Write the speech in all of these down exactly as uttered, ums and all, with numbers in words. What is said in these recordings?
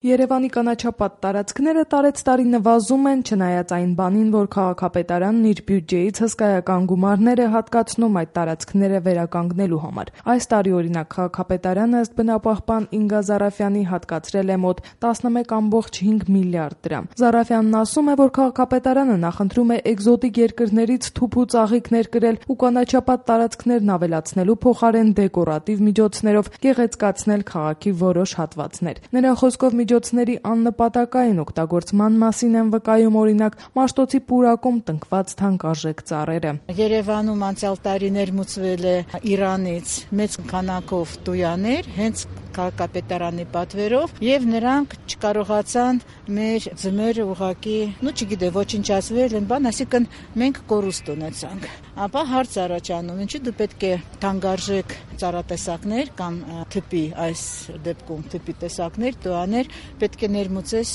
Երևանի կանաչապատ տարածքները տարեց տարի նվազում են, չնայած այն բանին, որ քաղաքապետարանն իր բյուջեից հսկայական գումարներ է հատկացնում այդ տարածքները վերականգնելու համար։ Այս տարի օրինակ քաղաքապետարանը ըստ բնապահպան Ինգա Զարաֆյանի հատկացրել է մոտ տասնմեկ կόμma հինգ միլիարդ դրամ։ Զարաֆյանն ասում է, որ քաղաքապետարանը նախընտրում է էկզոտիկ երկրներից թուփ ու ծաղիկներ կրել ու կանաչապատ տարածքներն ավելացնելու փոխարեն դեկորատիվ միջոցներով գեղեցկացնել քաղաքի որոշ հատվածներ։ Նրա խոսքով միջոցների աննպատակային օգտագործման մասին են վկայում օրինակ Մաշտոցի պուրակում տնկված թանկարժեք ծառերը։ Երևանում անցյալ տարի ներմուծվել է Իրանից մեծ քանակով տույաներ, հենց քաղաքապետարանի պատվերով, եւ նրանք չկարողացան մեր ձմերը ուղակի, ну չգիտե, ոչնչացվել են, բան, այսինքն մենք կորուստ ունեցանք։ Ապա հարց առաջանում, ինչի դու պետք է թանկարժեք ծառատեսակներ կամ թփի, այս դեպքում թփի տեսակներ, տուաներ պետք է ներմուծես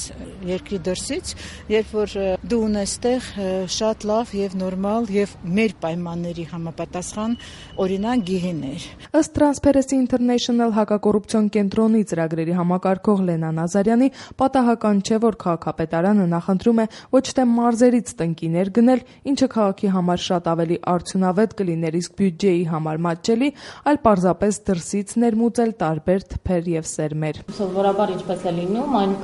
երկրի դրսից, երբ որ դու ունես տեղ շատ լավ եւ նորմալ եւ մեր պայմանների համապատասխան օրինակ գիհիներ։ Ըստ Transparency International հակակոռուպցիոն կենտրոնի ծրագրերի համակարգող Լենա Նազարյանի, պատահական չէ, որ քաղաքապետարանը նախընտրում է ոչ թե մարզերից տնկիներ գնել, ինչը քաղաքի համար շատ ավելի արդյունավետ կլիներ, իսկ բյուջեի համար մատչելի, այլ պարզապես դրսից ներմուծել տարբեր թփեր եւ սերմեր։ Սովորաբար ինչպես է լինում, այն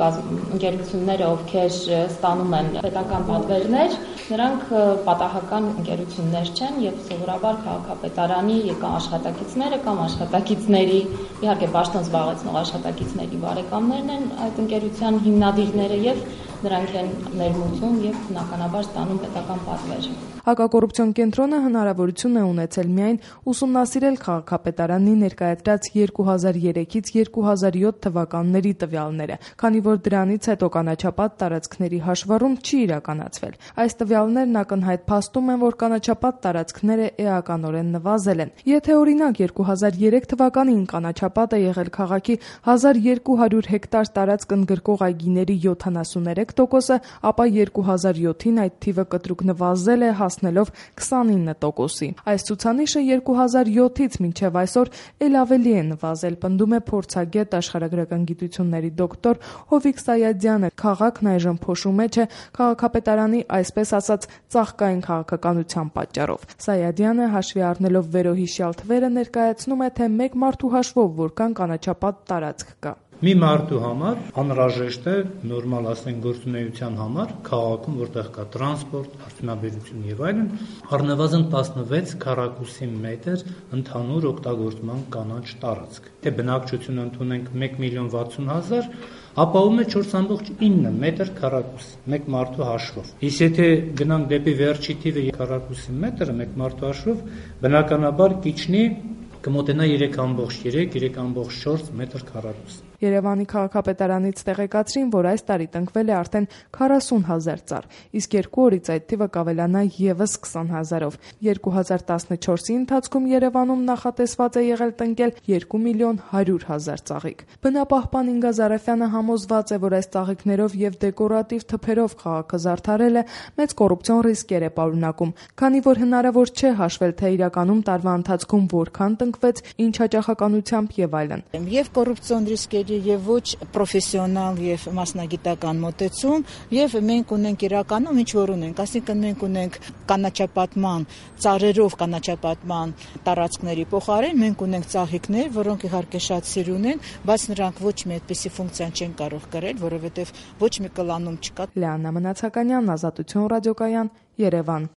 ընկերությունները, ովքեր ստանում են պետական պատվերներ, նրանք պատահական ընկերություններ չեն եւ սովորաբար քաղաքապետարանի կամ աշխատակիցները կամ աշխատակիցների, իհարկե պաշտոն զբաղեցնող աշխատակիցների բարեկամներն են այդ ընկերության հիմնադիրները եւ նրանք են ներմուծում եւ բնականաբար ստանում պետական պատվեր։ Հակակոռուպցիոն կենտրոնը հնարավորություն է ունեցել միայն ուսումնասիրել քաղաքապետարանի ներկայացրած երկու հազար երեքից երկու հազար յոթ թվականների տվյալները, քանի որ դրանից հետո կանաչապատ տարածքների հաշվառում չի իրականացվել։ Այս տվյալներն ակնհայտ փաստում են, որ կանաչապատ տարածքները էականորեն նվազել են։ Եթե օրինակ երկու հազար երեք թվականին կանաչապատ է եղել քաղաքի հազար երկու հարյուր հեկտար տարածք ընդգրկող այգիների յոթանասուներեք տոկոսը, ապա երկու հազար յոթին այդ թիվը կտրուկ նվազել է հասնելով քսանինը տոկոսի։ Այս ցուցանիշը երկու հազար յոթից մինչև այսօր էլ ավելի է նվազել, պնդում է փորձագետ աշխարհագրական գիտությունների դոկտոր Հովիկ Սայադյանը։ Քաղաքն այժմ փոշու մեջ է քաղաքապետարանի այսպես ասած ծաղկային քաղաքականության պատճառով։ Սայադյանը հաշվի առնելով վերոհիշյալ թվերը ներկայացնում է, թե մեկ մարդու հաշվով որքան կանաչապատ տարածք կա։ Մի մարդու համար անհրաժեշտ է նորմալ ասենք գործունեության համար քաղաքում, որտեղ կա տրանսպորտ, արդյունաբերություն եւ այլն, առնվազն տասնվեց քառակուսի մետր ընդհանուր օգտագործման կանաչ տարածք։ Թե բնակչություն ընդունենք մեկ միլիոն վաթսուն հազար, ապահովում է չորս կόμma ինը մետր քառակուս մեկ մարդու հաշվով։ Իսկ եթե գնանք դեպի վերջի թիվը քառակուսի մետրը մեկ մարդու հաշվով, բնականաբար կիջնի կմոտենա երեք կόμma երեք երեք կόμma չորս մետր քառակուս։ Երևանի քաղաքապետարանից տեղեկացրին, որ այս տարի տնկվել է արդեն քառասուն հազար ծառ, իսկ երկու օրից այդ թիվը կավելանա եւս քսան հազարով։ երկու հազար տասնչորսի ընթացքում Երևանում նախատեսված է եղել տնկել երկու միլիոն հարյուր հազար ծաղիկ։ Բնապահպան Ինգա Զարաֆյանը համոզված է, որ այս ծաղիկներով եւ դեկորատիվ թփերով քաղաքը զարդարելը մեծ կոռուպցիոն ռիսկեր է պարունակում, քանի որ հնարավոր չէ հաշվել, թե իրականում տարվա ընթացքում որքան տնկվեց, ինչ հաճախականությամբ եւ այլն։ Եվ կոռուպցիոն ռիսկերի եւ ոչ պրոֆեսիոնալ եւ մասնագիտական մոտեցում, եւ մենք ունենք իրականում ինչ որ ունենք, այսինքն մենք ունենք կանաչապատման ծառերով կանաչապատման տարածքների փոխարեն մենք ունենք ծաղիկներ, որոնք իհարկե շատ սիրուն են, բայց նրանք ոչ մի այդպիսի ֆունկցիա չեն կարող կրել, որովհետեւ ոչ մի կլանում չկա։ Լիաննա Մնացականյան, Ազատություն ռադիոկայան, Երևան։